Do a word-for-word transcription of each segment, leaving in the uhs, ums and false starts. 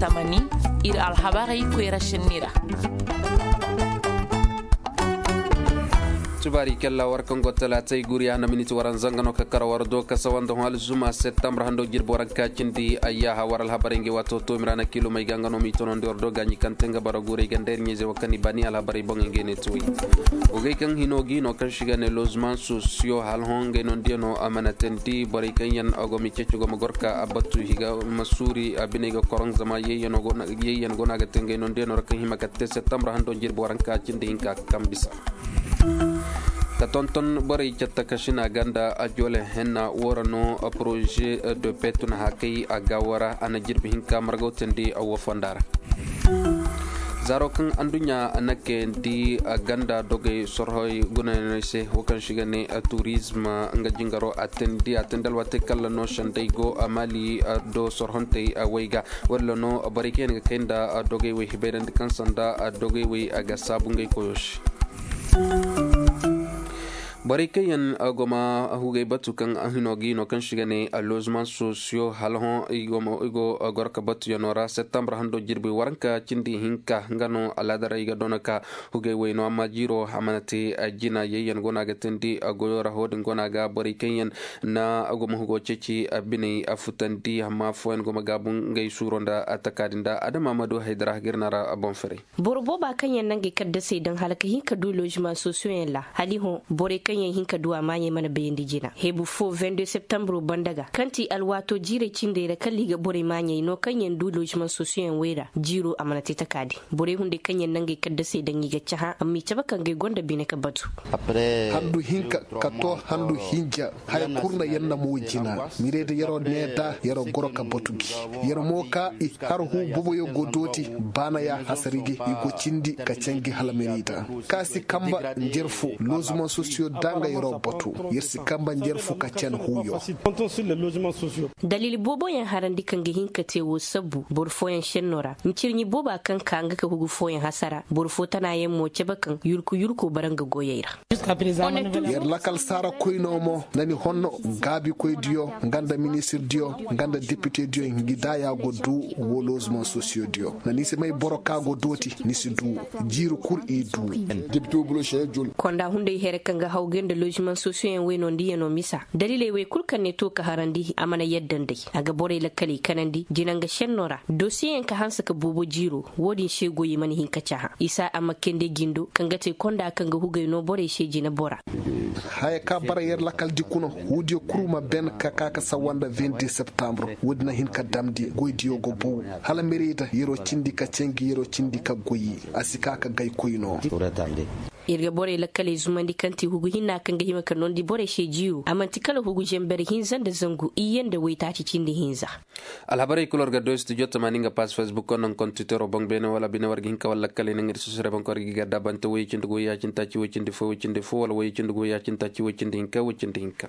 Tamani, ir alhabarey koyra šenni ra. Tubaari kella war kaŋ go talaatay guri a na miniti waranza nga no ka kar war do ka sawa nda hõ alzuma septembre hando jirbi waranka cindi ayyaha war alhabarey ngey waato toomira na kiilumey ga nga no m'i tonondi war do gaaɲi kaŋ te nga bara guurey ga nda ir ɲayzey wo kaŋ i baani alhabarey boŋey ngey ne tuwey. Wogey kaŋ hino ga hino kaŋ se i ga ne lozman sosiyo hala hõ ngey no nda yaŋ no a mana teendi borey kaŋ yaŋ a go ma i ceeci go ma goro ka a batu i ga ma suuri a biney ga koroŋ zama yayyan go no a ga te ngey no nda yaŋ no ra kaŋ hima ka te septembre hando jirbi waranka cindi hinka kaŋ bisa. Ka tonton borey catta ka sina ganda a joole henna woo ra no poroze de pe tun hakay a ga woo ra a na jirbi hinka margaw teendi a woo fonda ra. Zaaro kaŋ anduɲɲa na kayandi ganda dogey sorhey gunayaney se woo kaŋ se i ga ne turizm nga jingaro a teendi a teendi alwaatey kalla no sendey go mali do sorhontey way ga. Woo din ra no borey kaŋ yaŋ ga kay nda dogey wey hibayrandi kaŋ sanda dogey wey a ga saabu ngey koyo se. Borey kaŋ yaŋ go ma hugey batu kaŋ a hino ga i no kaŋ se i ga ne lozman sosiyo hala hõ i go goro ka batuyaŋo ra septembre hando jirbi waranka cindi hinka nga no alaada ra i ga doona ka hugey wayno amma jiiro a mana te jina yayyan go no a ga teendi goyo ra hoo din go no a ga borey kaŋ yaŋ na go ma hugo ceeci biney a futandi amma fooyaŋ go ma gaabu ngey suuro nda taka din da adama ma du haydara ga ir na ra boŋ ferey. Boro booba kaŋ yaŋ na ngey kaddasey daŋ hala ka hin ka du lozman sosiyoyaŋ ra hala i hõ borey kaŋ yaŋ hin ka du a maaɲey mana bayandi jina hebu fo vingt deux septembro banda ga kaŋ ti alwaato jiirey cindey ra kala i ga borey maaɲey no kaŋ yaŋ du lozman sosiyoyaŋ wey ra jiiro a mana te taka din. Borey hunday kaŋ yaŋ na ngey kaddasey daŋ i ga cahã amma i cabe kaŋ ga ay gonda bine ka batu. Handu hinka ka to handu hinja. Haya kul na yer na mo jina. Mirey da yer'o nee da yer'o goro ka batu gi. Yer mo ka i har huu boboyo go dooti baana ya hasari gi i go cindi ka canji hala mirey da. Ka si kamba njer fo lozuman sosiyo da nga yer'o batu. Yer si kamba njer fo ka can huuyo. Dalil booboyaŋ harandi kaŋ ga hin ka te woo sabbu boro fooyaŋ šenno ra ncirɲi booba kaŋ ka nga ka hugu fooyaŋ hasara boro fo tanayaŋ mo cabe kaŋ yurku yurko bara nga goyey ra. Yer lakal saara koynoo mo na ni honno gaabikoydiyo nga nda ministirdiyo nga nda depitediyo ngi daaya go duu woo lozuman sosiyodiyo na ni si may boro ka go dooti ni si duu. Jiiri kul i duu. Konda hunday here kaŋ ga hawgay nda lozuman sosiyoyaŋ wey no nda yano misa daliley wey kul kaŋ ne to ka harandi a mana yadda nd'ey a ga borey lakkaley kanandi jina nga šenno ra dosiyeyaŋ ka hanse ka boobo jiiro. Wo-din se goyey mana hin ka cahã isa a ma kende jindo kaŋ ga te konda kaŋ ga hugey no borey se jina bora. Haya ka bara yer lakaldi kuna huudiyo kul ma ben ka ka ka sawanda vingt septembre wo-din na hin ka damndi goydiyo go bow hala merey da yer'o cindi ka canji yer'o cindi ka goy. A si ka ka gay koy no. Ir ga borey lakkaley zumandi kaŋ ti hugu hinna kaŋ ga hima ka noondi borey se jiiro a man'ti kala hugu zamber hinza nda zangu iyye nda waytaaci cindi hinza. Alhabarey kul war ga doy studio tamaani nga pass facebook konda nga kontitero boŋ beene wala bine war ga hin ka wala lakkaley naŋ ir susure boŋ ka war ga i ga daabante woyey cindi goy ya cindi taaci woy cindi fo woy cindi fo wala woyey cindi goy ya cindi taaci woy cindi hinka woy cindi hinka.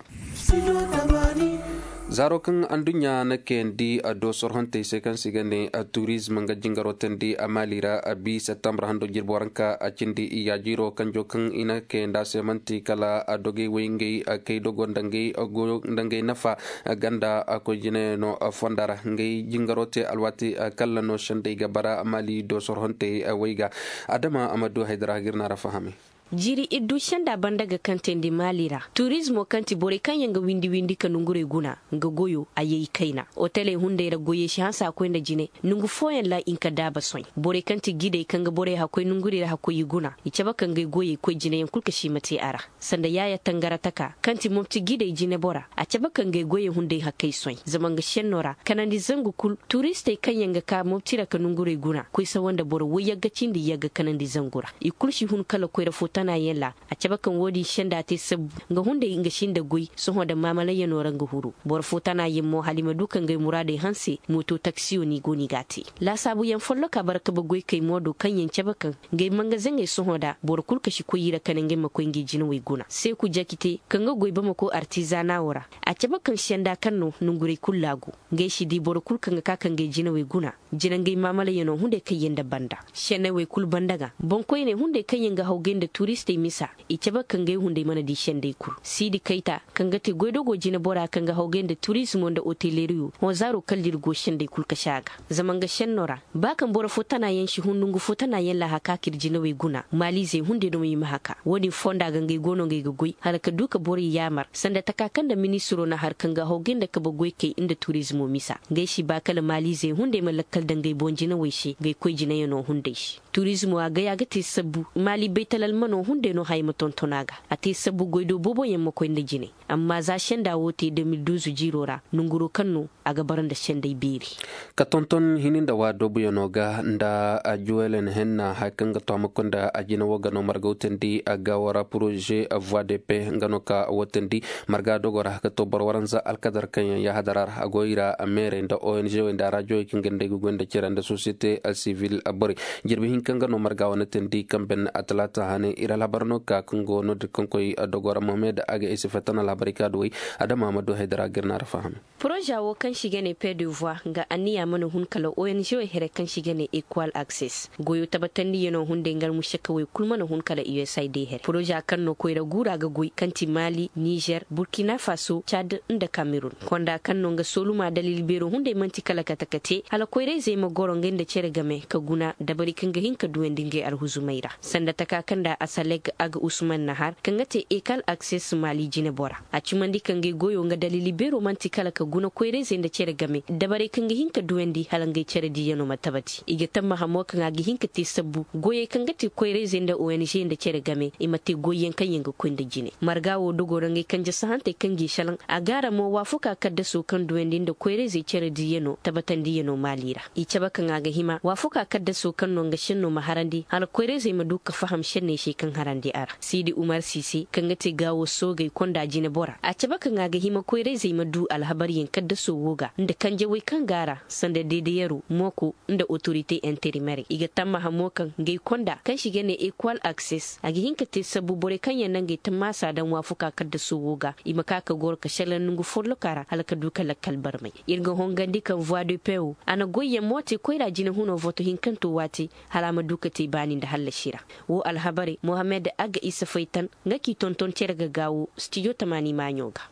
Zaaro kaŋ anduɲɲa na kayandi do sorhontey se kaŋ se i ga ne turizm nga jingaro teendi a maali ra bi septembre hando jirbi waranka a cindi iyaajiiro kanjo kaŋ i na kayandi a se man'ti kala dogey wey ngey kay dogo nda ngey nafa ganda koy jinayaŋo fonda ra ngey jingaro te alwaati kalla no sendey ga bara maali do sorhontey wey ga. Adama a ma du haydara ga ir na ra fahami. Jiiri iddu senda banda ga kaŋ teendi maali ra turizmo kaŋ ti borey kaŋ yaŋ ga windi windi ka nongurey guna nga goyo a yay kayna. Oteley hunday ra goyey si hanse a koy nda jine nongu fooyaŋ ra i nka daaba soy. Borey kaŋ ti gidey kaŋ ga borey hakkoy nongurey ra hakkoy i guna i cabe ka ngey goyey koy jineyaŋ kul ka si i ma te a ra. Sanda yaaya tangara taka kaŋ ti mopti gidey jinebora a cabe ka ngey goyey hunday hakkey soy zama nga senno ra kanandi zangu kul turistey kaŋ yaŋ ga ka mopti ra ka nongurey guna koy sawa nda boro woy yagga cindi yagga kanandi zangu ra. I kulu si hun kala koyra fo tanayaŋ ra. A cabe kaŋ wo-din senda te sabbu nga hunday nga si nda goy sohõ nda maamalayyaŋo ra nga huru. Boro fo tanayaŋ mo hala i ma du ka ngey muraadey hanse mooto taksiyo no i go no i g'a te. Laasaabuyaŋ folloka bara kabe goykey mo do kaŋ yaŋ cabe kaŋ ngey mangazeŋey sohõ nda boro kul ka si koy i ra kala ngey ma koy ngey jinawey guna seeku jakite kaŋ ga goy bamako artizanawo ra. A cabe kaŋ senda kaŋ no nongurey kul laagu ngey si di boro kul kaŋ ga ka ka ngey jinawey guna. Jina ngey maamalayyaŋo hunday kaŋ yaŋ nda banda senney wey kul banda ga boŋkoyney hunday kaŋ yaŋ ga hawgay nda Turistey misa i cabe ka ngay hunday mana di sendey kul. Siidi kayta kaŋ ga te goydogoo jineboraa kaŋ ga hawgay nda turizmo nda oteleriyo hõ zaaroo kala da ir go sendey kul ka se a ga. Zama nga senno ra ba kaŋ boro fo tana yaŋ si hun nongu fo tana yaŋ laahaka ka ir jinawey guna maaliizey hunday no ma i ma haka. Wo-din fonda ga ngay go no nga ay ga goy hala ka du ka borey yaamar sanda taka kaŋ nda ministiroo na har kaŋ ga hawgay nda kabe goykey nda turizmo misa. Nga ay si ba kala maaliizey hunday ma lakkal daŋ nga ay boŋ jinawey se nga ay koy jinayanoo hunday se. Turizmo a gay a ga te sabbu maali baytalalmanoo hunday no haya ma tonton a ga. A te sabbu goydoo booboyaŋ ma koy nda jinay. Amma za senda woo te de mil duuzu jiiroo ra nonguroo kaŋ no a ga bara nda sendey beeri. Ka tonton hini nda waadoobuyanoo ga nda juwelen henna haya kaŋ ga to a ma koy nda a jina woo ga no marga wutandi a ga wara poroze voie de paix nga no ka wutandi. Marga dogoo ra ka to boro waranza alkadar kaŋ yaŋ yaahadara ra a go i ra meerey nda ong wey nda raajowey kaŋ ga nda ay ga goy nda cere nda sosiyete sivil borey. Jirbi hinka nga no marga wane teendi kaŋ ben atalaata hane ir alhabar no ka kaŋ go no-din kaŋ koy dogoo ra mohamed a ga ay si fetan alhabarey ka duwey. Adama ma du haydara ga ir na ra faham. Poroza woo kaŋ se i ga ne paix de voie nga anniya mana hun kala ong wey here kaŋ se i ga ne equal access goyoo tabatandiyano hunday nga almušakawey kul mana hun kala usaid here poroza kaŋ no koyra guura ga goy kaŋ ti mali nizer burkina faso cad nda kamerun. Konda kaŋ no nga sooluma dalil beeroo hunday man'ti kala kate kate hala koyra-izey ma goro ngey nda cere game ka guna dabari kaŋ ga hin ka duwandi ngey alhuzumey ra sanda taka kaŋ nda asaleg aga usman nahar kaŋ ga te ekal akses maali jinebora. A cimandi ka ngey goyo nga dalili beero man'ti kala ka guna koyra-izey nda cere game dabarey kaŋ ga hin ka duwandi hala ngey cere diiyano ma tabati i ga tamma hamo kaŋ a ga hin ka te sabbu goyey kaŋ ga te koyra-izey nda ong nda cere game i ma te goyyaŋ kaŋ yaŋ ga koy nda jine. Marga wo dogo ra ngey kanje sahantey kaŋ g'i salaŋ a gaara mo waafuka kaddaso kaŋ duwandi nda koyra-izey cere diiyano tabatandiyano maali ra. I cabe kaŋ a ga hima waafuka kaddaso kaŋ no nga senno ma harandi hala koyra-izey ma du ka faham senney se kaŋ harandi a ra. Siidi umar siise kaŋ ga te gaawo soogey konda jinebora a cabe kaŋ a ga hima koyra-izey ma du alhabaryaŋ kaddaso wo ga nda kanjawey kaŋ go a ra sanda deedeyaro mooko nda otorite interimerey i ga tammaha mo kaŋ ngey konda kaŋ se i ga ne ekwal akses a ga hin ka te sabbu borey kaŋ yaŋ na ngey tammaasa daŋ waafuka kaddaso wo ga i ma ka ka goro ka šelaŋ nongu folloka ra hala ka du ka lakkal barmay. Ir ga hongandi kaŋ voie de paix wo a na goyyaŋ mo te koyra jinehunoo voto hinkanto waati hala a ma du ka te baani nda hallasi ra. Woo alhabarey mohammed agga isa faytan nga k'i tonton cere ga gaawo stijo tamaani maaɲo ga.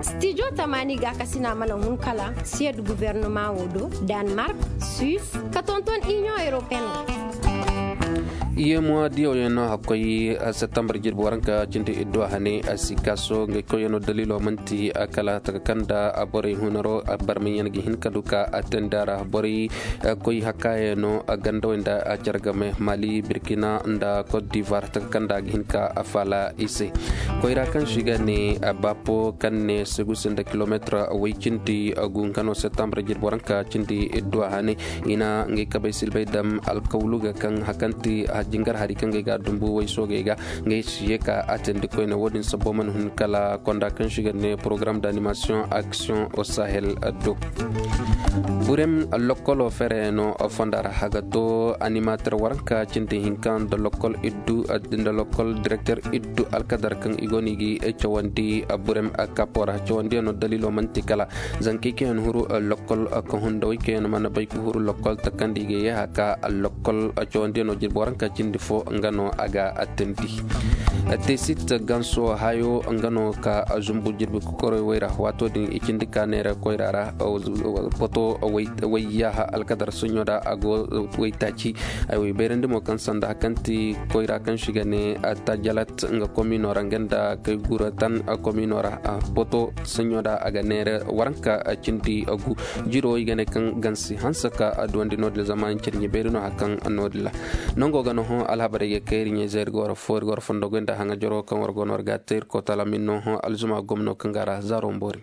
Stijo tamaani gaakasina mana hun kala siyed gubernamaa woo do, danmark, suis, ka tonton iniyoŋ europeen. Iyemuwa diyaw yaŋ no hakkoy septembar jirbi waranka cindi iddu a hane a si kaaso ngey koy yaŋ no daliilo man'ti kala taka kaŋ nda borey hunaro barmay yaŋ ga hin ka du ka a teendi a ra borey koy hakkaayano gandawey nda a care game mali birkina nda kot divar taka kaŋ nda a ga hin ka a faala i se. Koyra kaŋ se i ga ne bapo kaŋ ne segu se nda kilometir way cindi gu nga no septembre jirbi waranka cindi iddu a hane i na ngey kabey silbay dam alkawlu ga kaŋ hakanti jingar hari kaŋ gay ga dumbu way soogey ga ngey si ye ka a teendi koyne wo-din sabbo mana hun kala konda kaŋ se i ga ne porogaram d'animasiyoŋ aksiyoŋ o sahel do. Burem lokkolo fereyaŋo fonda ra a ga to animater waranka cindi hinka nda lokkol iddu nda lokkol direkter iddu alkadar kaŋ i go no i ga cawandi burem kapo ra cawandiyaŋo daliilo man'ti kala zankey kaŋ yaŋ huru lokkol ka hunda way kaŋ yaŋ mana bay ka huru lokkol takandi i ga yeeha ka lokkol cawandiyaŋo jirbi waranka cindi fo nga no a ga teendi. Tesit ganso hayo nga no ka zumbu jirbi kokorey wayra waato din i cindi ka neera koyra ra poto wayyaha alkadar soɲo da a go waytaaci. Ay way bayrandi mo kaŋ sanda hakanti koyra kaŋ se i ga ne tajalat nga komino ra nga nda kay gura tan komino ra poto soɲo da a ga neera waranka cindi gu. Jiro i ga ne kaŋ gansi hanse ka a duwandi no-din ra zama ncirɲi bayri no hakan no-din ra. Nango ga no hõ alhabarey ga kay ir ɲayzey ir ga war fo ir ga war fondo goy nda haŋajaro kaŋ war go no war ga a te ir kotala min no hõ alzuma gomno kaŋ ga a ra zaaro mboori.